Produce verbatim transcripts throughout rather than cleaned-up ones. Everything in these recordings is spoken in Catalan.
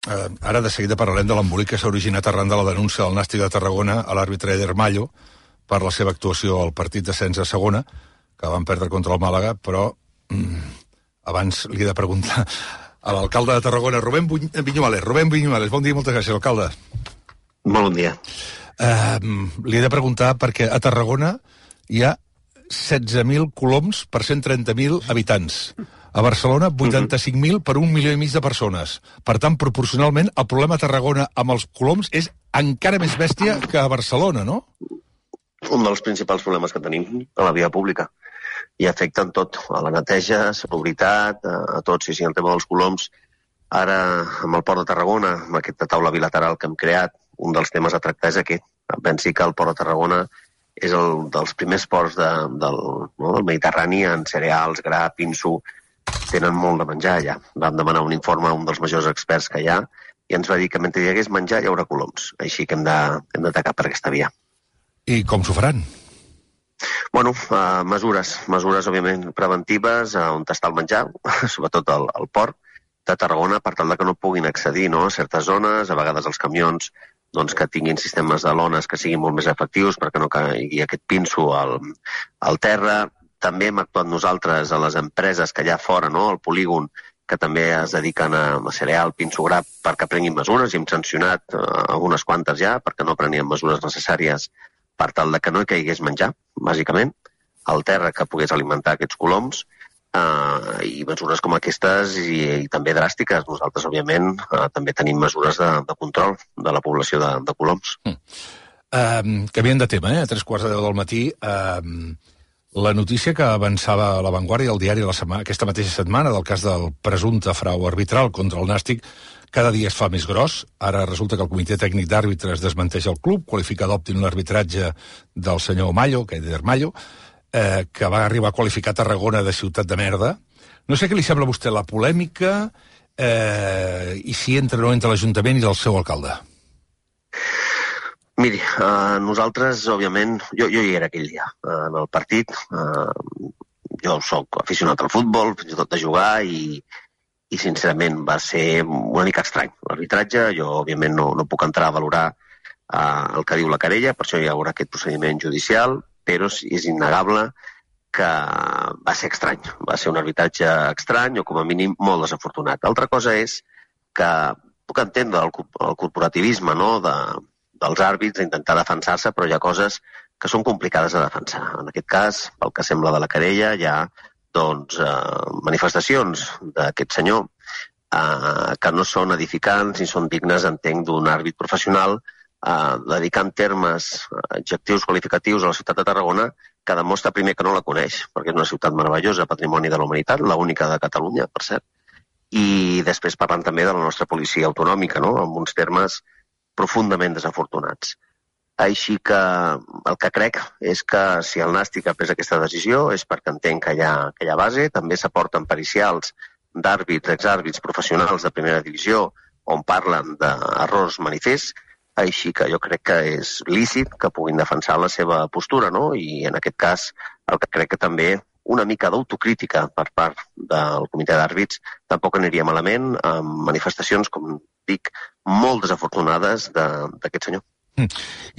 eh, ara de seguida parlarem de l'embolic que s'ha originat arran de la denúncia del Nàstic de Tarragona a l'àrbitre Eder Mallo per la seva actuació al partit d'ascens a segona, que van perdre contra el Màlaga, però mm, abans li he de preguntar a l'alcalde de Tarragona, Rubén Viñuales. Rubén Viñuales, bon dia i moltes gràcies, alcalde. Molt bon dia. Eh, li he de preguntar perquè a Tarragona hi ha setze mil coloms per cent trenta mil habitants. A Barcelona, vuitanta-cinc mil per un milió i mig de persones. Per tant, proporcionalment, el problema a Tarragona amb els coloms és encara més bèstia que a Barcelona, no? Un dels principals problemes que tenim a la via pública. I afecten tot, a la neteja, a seguretat, a, a tot. Sí, sí, el tema dels coloms, ara amb el Port de Tarragona, amb aquesta taula bilateral que hem creat, un dels temes a tractar és aquest. Pensi que el Port de Tarragona és el dels primers ports de, del, no, del Mediterrani en cereals, gra, pinso. Tenen molt de menjar allà. Vam demanar un informe a un dels majors experts que hi ha i ens va dir que mentre hi hagués menjar hi haurà coloms. Així que hem d'atacar per aquesta via. I com s'ho faran? Bueno, uh, mesures, mesures òbviament preventives uh, on està el menjar, sobretot al, al port de Tarragona, per tal de que no puguin accedir, no, a certes zones, a vegades els camions doncs, que tinguin sistemes de lones que siguin molt més efectius perquè no caigui aquest pinso al, al terra. També hem actuat nosaltres a les empreses que hi ha fora, no, al polígon, que també es dediquen a, a cereal, pinso, gra, perquè prenguin mesures, i hem sancionat uh, algunes quantes ja perquè no prenien mesures necessàries per tal de que no hi caigués menjar, bàsicament, al terra que pogués alimentar aquests coloms, uh, i mesures com aquestes i, i també dràstiques. Nosaltres, òbviament, uh, també tenim mesures de, de control de la població de, de coloms. Mm. Uh, canviant de tema, eh? A tres quarts de deu del matí, uh, la notícia que avançava a La Vanguardia, el diari, la setmana, aquesta mateixa setmana, del cas del presumpte frau arbitral contra el Nàstic, cada dia es fa més gros. Ara resulta que el Comitè Tècnic d'Àrbitres desmenteix el club, qualifica d'òptim l'arbitratge del senyor Mallo, que és Mallo, eh, que va arribar a qualificar Tarragona de ciutat de merda. No sé què li sembla a vostè la polèmica eh, i si entra o no entre l'Ajuntament i el seu alcalde. Miri, uh, nosaltres, òbviament, jo, jo hi era aquell dia, uh, en el partit. Uh, jo sóc aficionat al futbol, fins i tot de jugar, i, i sincerament va ser una mica estrany l'arbitratge. Jo, òbviament, no, no puc entrar a valorar uh, el que diu la querella, per això hi haurà aquest procediment judicial, però és innegable que va ser estrany. Va ser un arbitratge estrany o, com a mínim, molt desafortunat. L'altra cosa és que puc entendre el, el corporativisme, no?, de dels àrbits, intentar defensar-se, però hi ha coses que són complicades de defensar. En aquest cas, pel que sembla de la querella, hi ha doncs, eh, manifestacions d'aquest senyor eh, que no són edificants ni són dignes, entenc, d'un àrbit professional, eh, dedicant termes, adjectius qualificatius a la ciutat de Tarragona, que demostra primer que no la coneix, perquè és una ciutat meravellosa, patrimoni de la humanitat, l'única de Catalunya, per cert, i després parlant també de la nostra policia autonòmica, no?, amb uns termes profundament desafortunats. Així que el que crec és que si el Nàstic ha pres aquesta decisió és perquè entenc que hi ha, que hi ha base. També s'aporten pericials d'àrbits, exàrbits professionals de primera divisió on parlen d'errors manifests, així que jo crec que és lícit que puguin defensar la seva postura, no? I en aquest cas el que crec que també una mica d'autocrítica per part del comitè d'àrbits tampoc aniria malament amb manifestacions, com dic, molt desafortunades d'aquest senyor. Mm.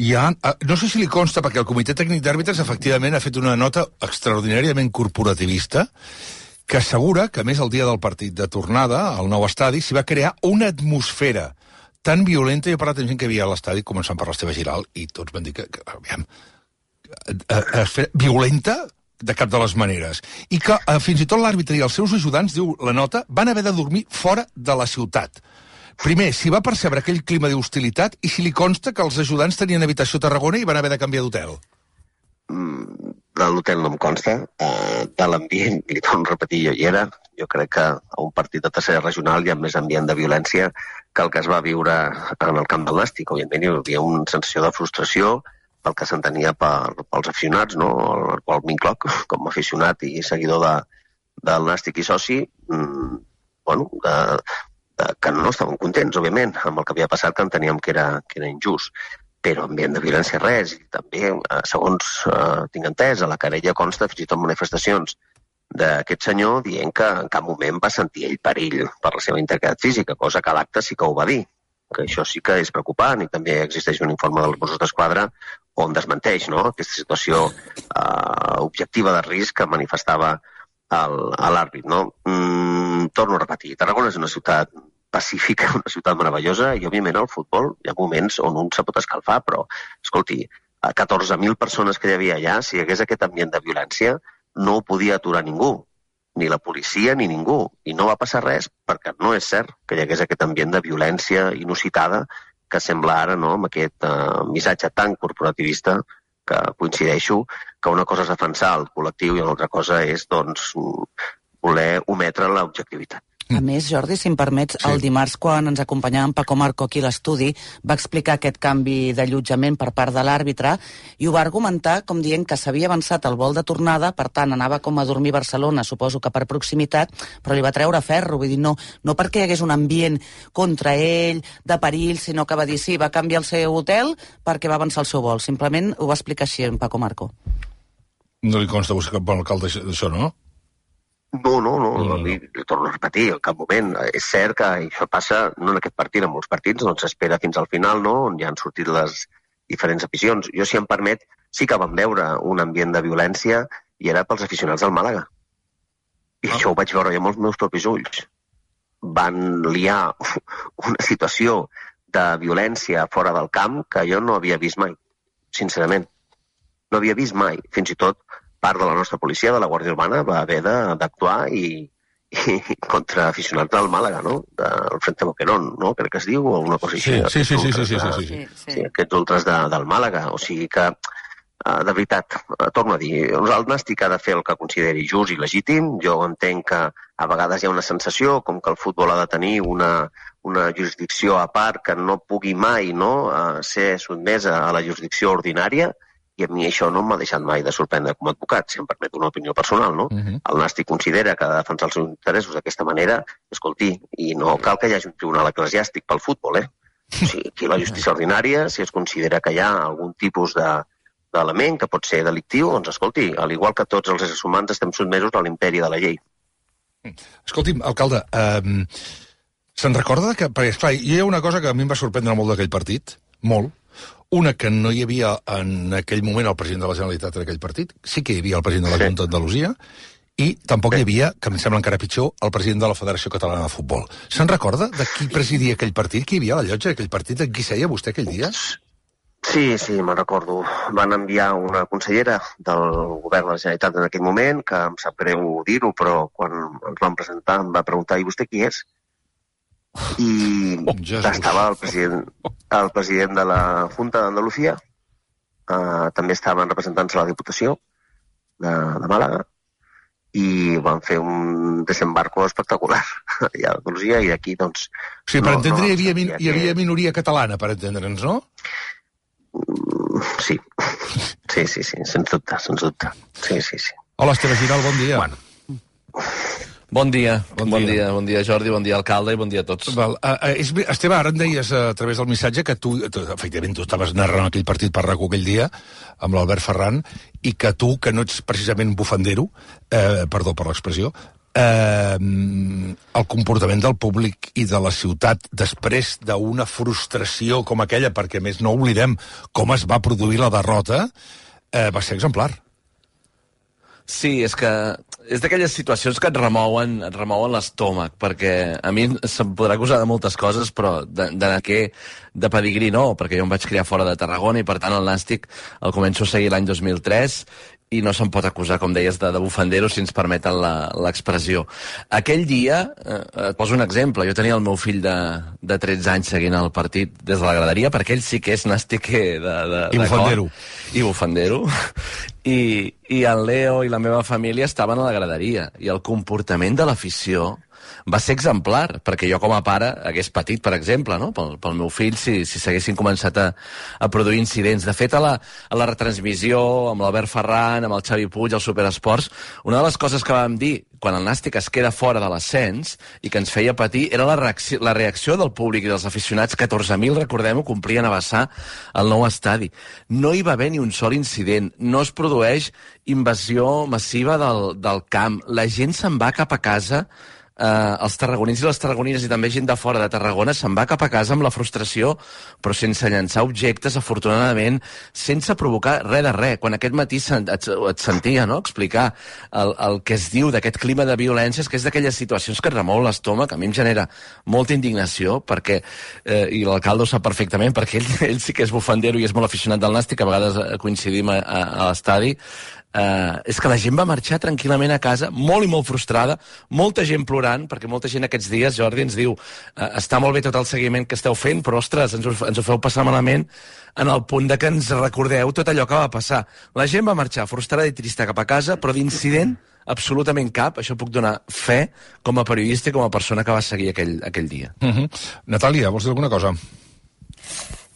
Hi ha, no sé si li consta, perquè el Comitè Tècnic d'Àrbitres efectivament ha fet una nota extraordinàriament corporativista que assegura que, a més, el dia del partit de tornada al nou estadi s'hi va crear una atmosfera tan violenta. Jo he parlat amb gent que havia a l'estadi, començant per l'Esteve Giral, i tots van dir que, que aviam, esfera violenta de cap de les maneres. I que eh, fins i tot l'àrbitre i els seus ajudants, diu la nota, van haver de dormir fora de la ciutat. Primer, si va percebre aquell clima d'hostilitat i si li consta que els ajudants tenien habitació a Tarragona i van haver de canviar d'hotel. Mm, de l'hotel no em consta. Uh, de l'ambient, li torno a repetir, jo hi era. Jo crec que a un partit de tercera regional hi ha més ambient de violència que el que es va viure en el camp del Nàstic. Òbviament hi havia una sensació de frustració pel que s'entenia per, pels aficionats, no? El qual m'incloc com a aficionat i seguidor de, del Nàstic i soci, mm, bueno, de, de, que no estaven contents, òbviament, amb el que havia passat, que enteníem que era, que era injust. Però ambient de violència res. I també, segons eh, tinc entès, a la querella consta fins i tot manifestacions d'aquest senyor dient que en cap moment va sentir ell perill per la seva integritat física, cosa que a l'acte sí que ho va dir, que això sí que és preocupant, i també existeix un informe dels Mossos d'Esquadra on desmenteix, no?, aquesta situació eh, objectiva de risc que manifestava l'àrbit, no? Mm, torno a repetir, Tarragona és una ciutat pacífica, una ciutat meravellosa, i òbviament al futbol hi ha moments on un se pot escalfar, però, escolti, a catorze mil persones que hi havia allà, si hi hagués aquest ambient de violència, no ho podia aturar ningú, ni la policia ni ningú, i no va passar res perquè no és cert que hi hagués aquest ambient de violència inusitada que sembla ara, no?, amb aquest uh, missatge tan corporativista que coincideixo que una cosa és defensar el col·lectiu i una altra cosa és, doncs, voler ometre l'objectivitat. A més, Jordi, si em permets, sí. El dimarts, quan ens acompanyava en Paco Marco aquí a l'estudi, va explicar aquest canvi d'allotjament per part de l'àrbitre i ho va argumentar com dient que s'havia avançat el vol de tornada, per tant, anava com a dormir a Barcelona, suposo que per proximitat, però li va treure ferro, vull dir, no, no perquè hi hagués un ambient contra ell, de perill, sinó que va dir sí, va canviar el seu hotel perquè va avançar el seu vol. Simplement ho va explicar així en Paco Marco. No li consta a vostè cap bon alcalde d'això, no? No, no, no, no, li, li torno a repetir, en cap moment. És cert que això passa, no en aquest partit, en molts partits, doncs s'espera fins al final, no?, on ja han sortit les diferents aficions. Jo, si em permet, sí que vam veure un ambient de violència i era pels aficionats del Màlaga. I oh. això ho vaig veure jo amb els meus propis ulls. Van liar una situació de violència fora del camp que jo no havia vist mai, sincerament. No havia vist mai, fins i tot part de la nostra policia, de la Guàrdia Urbana, va haver d'actuar i, i contra aficionats del Màlaga, no?, del Frente Boquerón, no?, crec que es diu, o una cosa així. Sí, sí, sí, sí, sí, sí, sí, sí, sí. sí, aquests ultres de, del Màlaga. O sigui que, de veritat, torno a dir, el Nàstic ha de fer el que consideri just i legítim. Jo entenc que a vegades hi ha una sensació com que el futbol ha de tenir una, una jurisdicció a part que no pugui mai, no?, ser sotmesa a la jurisdicció ordinària, i a mi això no m'ha deixat mai de sorprendre com a advocat, si em permet una opinió personal, no? Uh-huh. El Nàstic considera que ha de defensar els seus interessos d'aquesta manera, escolti, i no cal que hi hagi un tribunal eclesiàstic pel futbol, eh? O sigui, aquí la justícia ordinària, si es considera que hi ha algun tipus de, d'element que pot ser delictiu, doncs escolti, al igual que tots els éssers humans estem sotmesos a l'imperi de la llei. Escolti'm, alcalde, eh, se'n recorda que... Perquè, esclar, hi ha una cosa que a mi em va sorprendre molt d'aquell partit, molt. Una, que no hi havia en aquell moment el president de la Generalitat en aquell partit, sí que hi havia el president de la Junta d'Andalusia, i tampoc hi havia, que em sembla encara pitjor, el president de la Federació Catalana de Futbol. Se'n recorda de qui presidia aquell partit? Qui hi havia a la llotja d'aquell partit? En qui seia vostè aquell dia? Sí, sí, me'n recordo. Van enviar una consellera del govern de la Generalitat en aquell moment, que em sap greu dir-ho, però quan ens van presentar em va preguntar, i vostè qui és? I oh, estava el president, el president de la Junta d'Andalusia, uh, també estaven representants de la Diputació de, de Màlaga, i van fer un desembarco espectacular allà a Andalusia, i aquí, doncs... O sigui, per no, entendre, no, hi, havia, min, hi havia minoria catalana, per entendre'ns, no? Sí, sí, sí, sí, sens dubte, sens dubte. Sí, sí, sí. Hola, Esteve Giral, bon dia. Bueno. Bon dia, bon, bon dia. dia, bon dia Jordi, bon dia alcalde i bon dia a tots. Val. Uh, és, Esteve, ara em deies uh, a través del missatge que tu, tu, efectivament, tu estaves narrant aquell partit per RACU aquell dia, amb l'Albert Ferran, i que tu, que no ets precisament bufandero, eh, perdó per l'expressió, eh, el comportament del públic i de la ciutat després d'una frustració com aquella, perquè a més no oblidem com es va produir la derrota, eh, va ser exemplar. Sí, és que és d'aquelles situacions que et remouen, et remouen l'estómac, perquè a mi se'm podrà acusar de moltes coses, però de, de què de pedigrí no, perquè jo em vaig criar fora de Tarragona i per tant el Nàstic el començo a seguir l'any dos mil tres i no se'm pot acusar, com deies, de, de bufandero, si ens permeten l'expressió. Aquell dia, eh, et poso un exemple, jo tenia el meu fill de, de tretze anys seguint el partit des de la graderia, perquè ell sí que és nàstiquer de, de, I bufandero. I bufandero. I, I el Leo i la meva família estaven a la graderia, i el comportament de l'afició va ser exemplar, perquè jo com a pare hagués patit, per exemple, no? pel, pel meu fill, si, si s'haguessin començat a, a produir incidents. De fet, a la, a la retransmissió, amb l'Albert Ferran, amb el Xavi Puig, al Superesports, una de les coses que vam dir, quan el Nàstic es queda fora de l'ascens i que ens feia patir, era la reacció, la reacció del públic i dels aficionats. Catorze mil, recordem-ho, complien a vessar el nou estadi. No hi va haver ni un sol incident, no es produeix invasió massiva del, del camp. La gent se'n va cap a casa, eh, els tarragonins i les tarragonines i també gent de fora de Tarragona se'n va cap a casa amb la frustració, però sense llançar objectes, afortunadament, sense provocar res de res. Quan aquest matí et, et sentia, no?, explicar el, el que es diu d'aquest clima de violències, que és d'aquelles situacions que et remou l'estómac, a mi em genera molta indignació, perquè, eh, i l'alcalde ho sap perfectament, perquè ell, ell sí que és bufandero i és molt aficionat del Nàstic, a vegades coincidim a, a, a l'estadi. Uh, és que la gent va marxar tranquil·lament a casa, molt i molt frustrada, molta gent plorant, perquè molta gent aquests dies, Jordi, ens diu uh, està molt bé tot el seguiment que esteu fent, però, ostres, ens ho, ens ho feu passar malament en el punt de que ens recordeu tot allò que va passar. La gent va marxar frustrada i trista cap a casa, però d'incident absolutament cap. Això puc donar fe com a periodista i com a persona que va seguir aquell, aquell dia. Uh-huh. Natàlia, vols dir alguna cosa?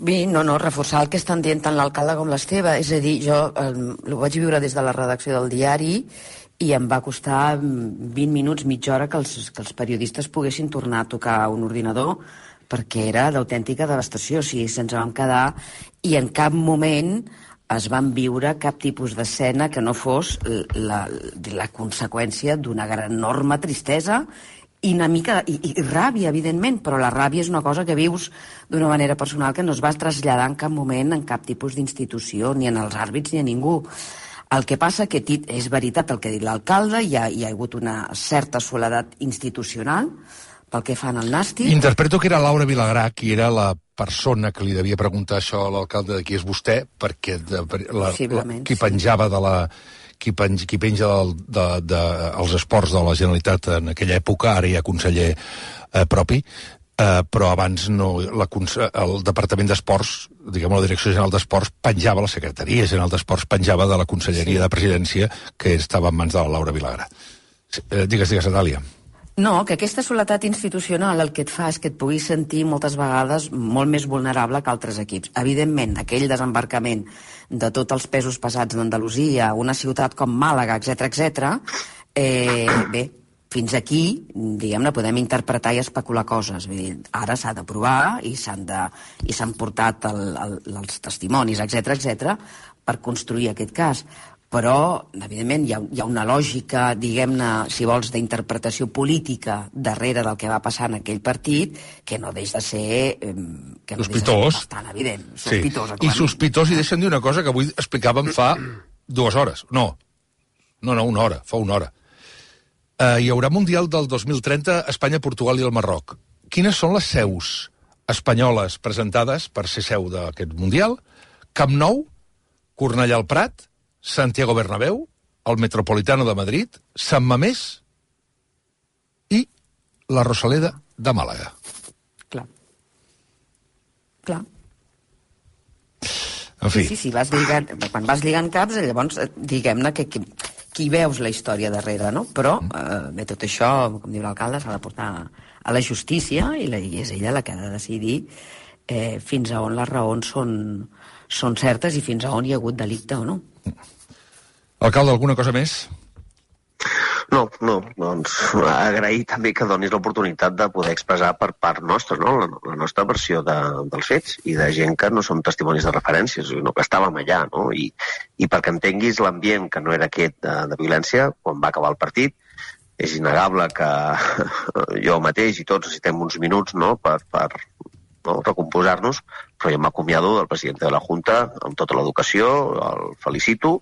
Bé, no, no, reforçar el que estan dient tant l'alcalde com l'Esteve. És a dir, jo eh, ho vaig viure des de la redacció del diari i em va costar vint minuts, mitja hora que els, que els periodistes poguessin tornar a tocar un ordinador, perquè era d'autèntica devastació. O sigui, se'ns vam quedar i en cap moment es van viure cap tipus d'escena que no fos la, la conseqüència d'una gran enorme tristesa i una mica, i, i ràbia, evidentment, però la ràbia és una cosa que vius d'una manera personal que no es va traslladar en cap moment en cap tipus d'institució, ni en els àrbits ni a ningú. El que passa que és veritat el que ha dit l'alcalde, hi ha, hi ha hagut una certa soledat institucional pel que fan al Nàstic. Interpreto que era Laura Vilagrà, qui era la persona que li devia preguntar això a l'alcalde de qui és vostè, perquè de, la, la, qui penjava de la... qui, penja, qui penja del, de, de, els esports de la Generalitat en aquella època, ara hi ha conseller eh, propi, eh, però abans no, la, el Departament d'Esports, diguem la Direcció General d'Esports, penjava, la Secretaria General d'Esports penjava de la Conselleria sí. de Presidència, que estava en mans de la Laura Vilagrà. Eh, digues, digues, Natàlia. No, que aquesta soledat institucional el que et fa és que et puguis sentir moltes vegades molt més vulnerable que altres equips. Evidentment, aquell desembarcament de tots els pesos pesats d'Andalusia, una ciutat com Màlaga, etcètera, etcètera, eh, bé, fins aquí, diguem-ne, podem interpretar i especular coses. Vull dir, ara s'ha de provar i s'han de, i s'han portat el, el, els testimonis, etcètera, etcètera, per construir aquest cas. Però, evidentment, hi ha, hi ha una lògica, diguem-ne, si vols, d'interpretació política darrere del que va passar en aquell partit, que no deix de ser... Eh, que no sospitós. De ser bastant evident. Sospitós, sí. I sospitós, i deixa'm dir una cosa que avui explicàvem fa dues hores. No, no, no, una hora, fa una hora. Uh, hi haurà Mundial del dos mil trenta a Espanya, Portugal i el Marroc. Quines són les seus espanyoles presentades per ser seu d'aquest Mundial? Camp Nou, Cornellà al Prat, Santiago Bernabéu, el Metropolitano de Madrid, Sant Mamés i la Rosaleda de Màlaga. Clar. Clar. En fi. Sí, sí, vas lligant, quan vas lligant caps, llavors, diguem-ne que, que qui veus la història darrere, no? Però, eh, bé, tot això, com diu l'alcalde, s'ha de portar a la justícia i, la, i és ella la que ha de decidir eh, fins a on les raons són, són certes i fins a on hi ha hagut delicte o no. Alcalde, alguna cosa més? No, no, doncs agrair també que donis l'oportunitat de poder expressar per part nostra, no? la, la nostra versió de, dels fets i de gent que no som testimonis de referències, sinó que estàvem allà, no? I, i perquè entenguis l'ambient que no era aquest de, de violència, quan va acabar el partit, és innegable que jo mateix i tots necessitem uns minuts, no?, per, per no, recomposar-nos, però jo m'acomiado del president de la Junta amb tota l'educació, el felicito,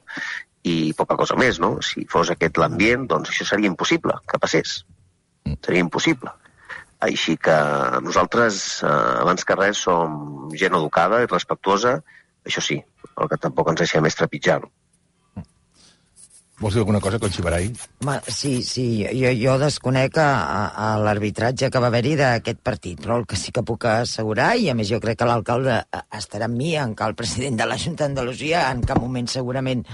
i poca cosa més, no? Si fos aquest l'ambient, doncs això seria impossible que passés. Seria impossible. Així que nosaltres, eh, abans que res, som gent educada i respectuosa, això sí, el que tampoc ens deixem és trepitjar-ho. Vols dir alguna cosa, Conxibarai? Sí, sí, jo, jo desconec a, a l'arbitratge que va haver-hi d'aquest partit, però el que sí que puc assegurar, i a més jo crec que l'alcalde estarà amb mi, en que el president de la Junta d'Andalusia en cap moment segurament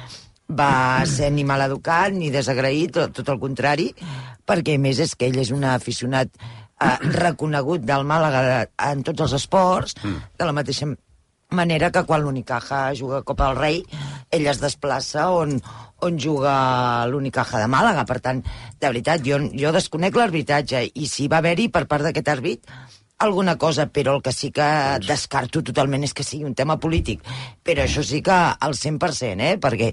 va ser ni maleducat ni desagraït, tot, tot el contrari, perquè a més és que ell és un aficionat eh, reconegut del Màlaga en tots els esports, de la mateixa manera que quan l'Unicaja juga a Copa del Rei, ell es desplaça on, on juga l'Unicaja de Màlaga. Per tant, de veritat, jo, jo desconec l'arbitratge, i si va haver-hi per part d'aquest àrbit alguna cosa, però el que sí que descarto totalment és que sigui un tema polític. Però això sí que al cent per cent, eh? Perquè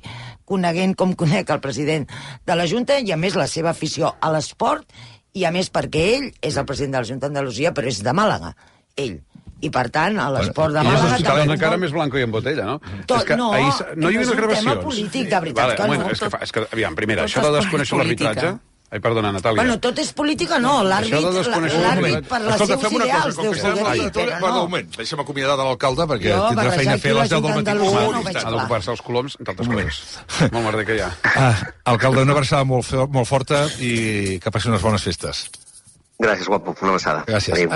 coneguent com conec el president de la Junta, i a més la seva afició a l'esport, i a més perquè ell és el president de la Junta d'Andalusia, però és de Màlaga, ell. I per tant, a l'esport de Màlaga... I és una cara més blanca i en botella, no? Tot, que no, ahir, no hi havia és un gravacions. tema polític, de veritat vale, que bueno, no. És que, fa, és que, aviam, primera, Tot això de és desconèixer política. l'arbitratge... Ai, perdona, Natàlia. Bueno, tot és política, no. L'àrbit Això de desconèixer l'àrbit per les Escolta, seus fem una cosa, ideals com deu que estem poder dir, a però un no. moment, deixa'm acomiadar de l'alcalde, perquè Jo, tindrà feina a fer a les deu del matí. Andalusia no ho Un veig instant. Ha d'ocupar-se els coloms, entre altres coses. Molt merder que hi ha. Ah, alcalde, una abraçada molt, fe- molt forta i que passi unes bones festes. Gràcies, guapo. Una abraçada. Gràcies. Adéu.